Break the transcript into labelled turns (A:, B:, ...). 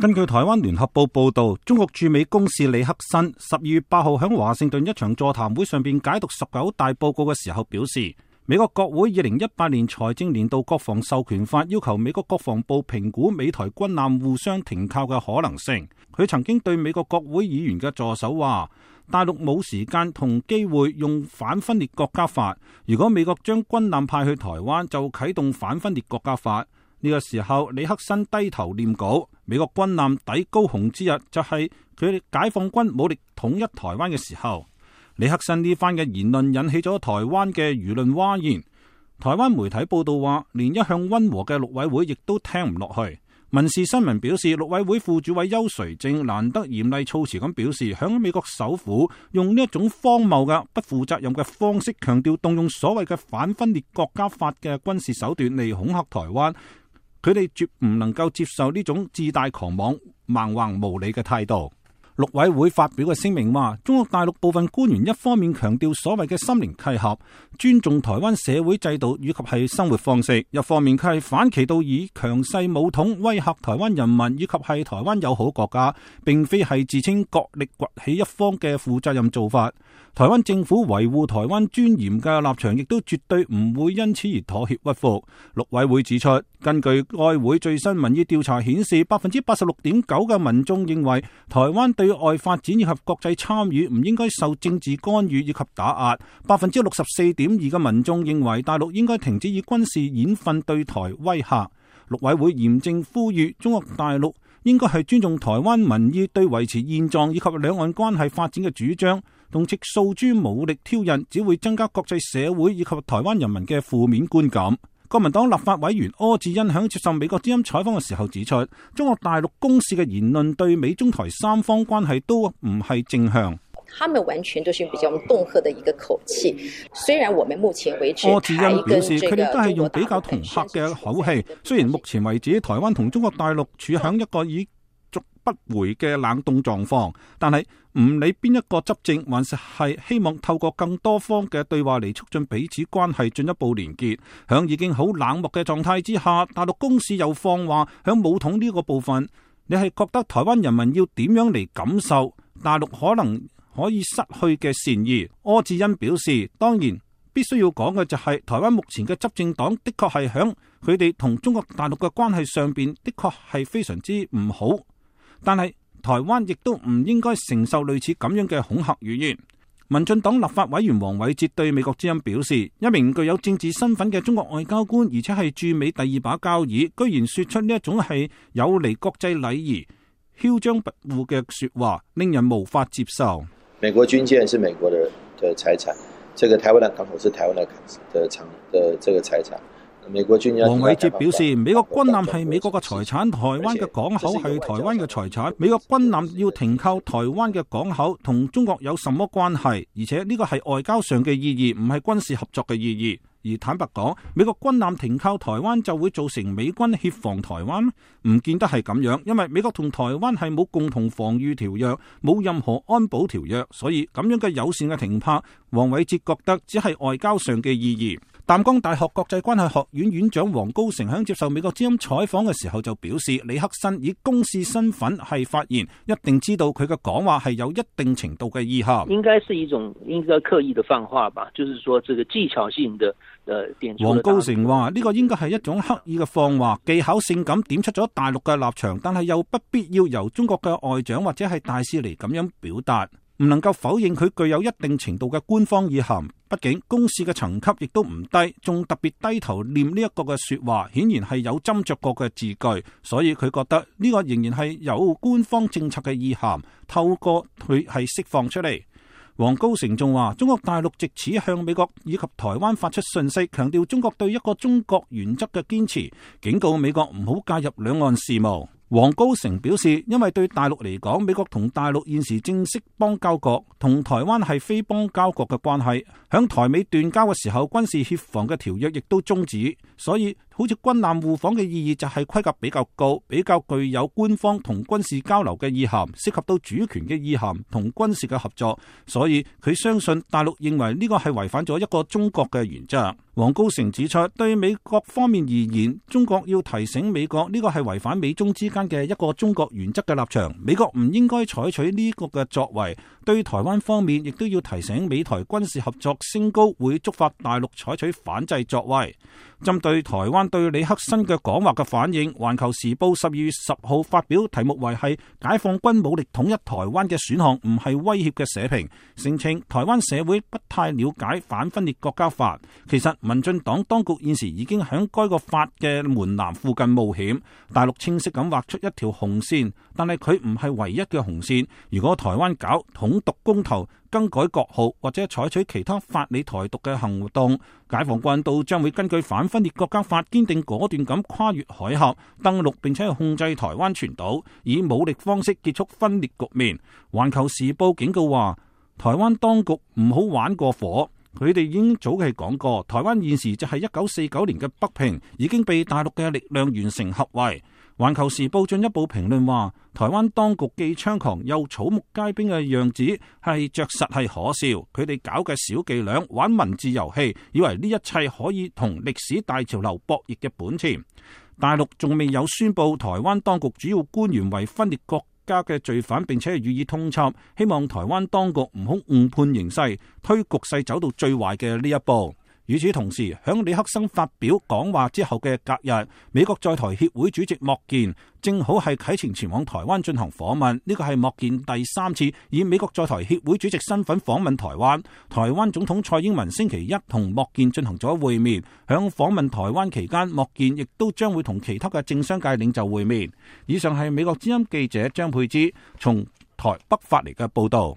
A: 根據台灣聯合報報道，中國駐美公使李克新12月8號喺華盛頓一場座談會上邊解讀19大報告嘅時候表示，美國國會2018年財政年度國防授權法要求美國國防部評估美台軍艦互相停靠嘅可能性。佢曾經對美國國會議員嘅助手話，大陸冇時間同機會用反分裂國家法，如果美國將軍艦派去台灣，就啟動反分裂國家法。呢個時候，李克新低頭念稿。美國軍艦抵高雄之日，就係佢哋解放軍武力統一台灣嘅時候。李克新呢番嘅言論引起咗台灣嘅輿論譁然。台灣媒體報道話，連一向溫和嘅陸委會亦都聽唔落去。民事新聞表示，陸委會副主委邱垂正難得嚴厲措辭咁表示，響美國首府用呢一種荒謬嘅不負責任嘅方式，強調動用所謂嘅反分裂國家法嘅軍事手段嚟恐嚇台灣。佢哋絕唔能夠接受呢種自大狂妄、蠻橫無理嘅態度。陸委會發表嘅聲明話，中國大陸部分官員一方面強調所謂嘅心靈契合，尊重台灣社會制度以及係生活方式，一方面佢係反其道以強勢武統威嚇台灣人民以及係台灣友好國家，並非係自稱國力崛起一方嘅負責任做法。台灣政府維護台灣尊嚴嘅立場亦都絕對唔會因此而妥協屈服。陸委會指出，根據該會最新民意調查顯示，86.9% 嘅民眾認為台灣對外發展以及國際參與唔應該受政治干預以及打壓。64.2% 嘅民眾認為大陸應該停止以軍事演訓對台威嚇。陸委會嚴正呼籲中國大陸應該係尊重台灣民意對維持現狀以及兩岸關係發展嘅主張，同藉訴諸武力挑釁，只會增加國際社會以及台灣人民嘅負面觀感。國民黨立法委員柯志恩喺接受美國之音採訪嘅時候指出，中國大陸公使嘅言論對美中台三方關係都唔係正向。
B: 他們完全都是比較恫嚇的一個口氣，雖然我們目前為止，
A: 柯志恩表示佢哋都係用比較恫嚇嘅口氣。雖然目前為止台灣同中國大陸處響一個已逐不回嘅冷凍狀況，但係唔理邊一個執政，還是係希望透過更多方嘅對話嚟促進彼此關係進一步連結。響已經好冷漠嘅狀態之下，大陸公使又放話響武統呢個部分，你係覺得台灣人民要點樣嚟感受大陸可能可以失去嘅善意？柯志恩表示，當然必須要講嘅就係台灣目前嘅執政黨的確係響佢哋同中國大陸嘅關係上邊的確係非常之唔好，但係台灣亦都唔應該承受類似咁樣嘅恐嚇語言。民進黨立法委員黃偉哲對美國之音表示，一名具有政治身份嘅中國外交官，而且係駐美第二把交椅，居然說出呢一種係有違國際禮儀、囂張跋扈嘅說話，令人無法接受。
C: 美國軍艦是美國的財產，這個台灣的港口是台灣的這個財產。美國軍艦，黃偉哲
A: 表示，美國軍艦係美國嘅財產，台灣嘅港口係台灣嘅財產。美國軍艦要停靠台灣嘅港口，同中國有什麼關係？而且呢個係外交上嘅意義，唔係軍事合作嘅意義。而坦白講，美國軍艦停靠台灣就會造成美軍協防台灣？唔見得係咁樣，因為美國同台灣係冇共同防禦條約，冇任何安保條約，所以咁樣嘅友善嘅停泊，黃偉哲覺得只係外交上嘅意義。淡江大學國際關係學院院長黃高成喺接受美國之音採訪嘅時候就表示，李克新以公使身份係發言，一定知道佢嘅講話係有一定程度嘅意涵。
D: 應該是一種應該刻意的放話吧，就是說這個技巧性的點出。黃
A: 高成話呢個應該係一種刻意嘅放話，技巧性咁點出咗大陸嘅立場，但係又不必要由中國嘅外長或者係大使嚟咁樣表達。唔能夠否認佢具有一定程度嘅官方意涵，畢竟公使嘅層級亦都唔低，仲特別低頭念呢一個嘅說話，顯然係有斟酌過嘅字句，所以佢覺得呢個仍然係有官方政策嘅意涵，透過佢係釋放出嚟。黃高成仲話，中國大陸藉此向美國以及台灣發出訊息，強調中國對一個中國原則嘅堅持，警告美國唔好介入兩岸事務。黃高成表示，因為對大陸嚟講，美國同大陸現時正式邦交國，同台灣係非邦交國嘅關係，響台美斷交嘅時候，軍事協防嘅條約亦都終止，所以好似軍艦互訪嘅意義就係規格比較高，比較具有官方同軍事交流嘅意涵，涉及到主權嘅意涵同軍事嘅合作，所以佢相信大陸認為呢個係違反咗一個中國嘅原則。王高成指出，對美國方面而言，中國要提醒美國呢個係違反美中之間嘅一個中國原則嘅立場，美國唔應該採取呢個嘅作為。對台灣方面，亦都要提醒美台軍事合作升高會觸發大陸採取反制作為。針對台灣對李克森嘅講話嘅反應，環球時報12月10號發表題目為係解放軍武力統一台灣嘅選項唔係威脅嘅社評，聲稱台灣社會不太了解反分裂國家法。其實民進黨當局現時已經喺該個法嘅門檻附近冒險，大陸清晰咁畫出一條紅線，但係佢唔係唯一嘅紅線。如果台灣搞統獨公投、更改國號或者採取其他法理台獨嘅行動，解放軍都將會根據反分裂國家法堅定果斷咁跨越海峽登陸，並且控制台灣全島，以武力方式結束分裂局面。環球時報警告話，台灣當局唔好玩過火。佢哋已經早期講過，台灣現時就係1949年嘅北平，已經被大陸嘅力量完成合圍。環球時報進一步評論話，台灣當局既猖狂又草木皆兵嘅樣子係着實係可笑。佢哋搞嘅小伎倆、玩文字遊戲，以為呢一切可以同歷史大潮流博弈嘅本錢。大陸仲未有宣布台灣當局主要官員為分裂國家嘅罪犯，並且予以通緝，希望台灣當局唔好誤判形勢，推局勢走到最壞嘅呢一步。與此同時，響李克森發表講話之後嘅隔日，美國在台協會主席莫健正好係啟程前往台灣進行訪問。呢個係莫健第3次以美國在台協會主席身份訪問台灣。台灣總統蔡英文星期一同莫健進行咗會面。響訪問台灣期間，莫健亦都將會同其他嘅政商界領袖會面。以上係美國之音記者張佩芝從台北發嚟嘅報道。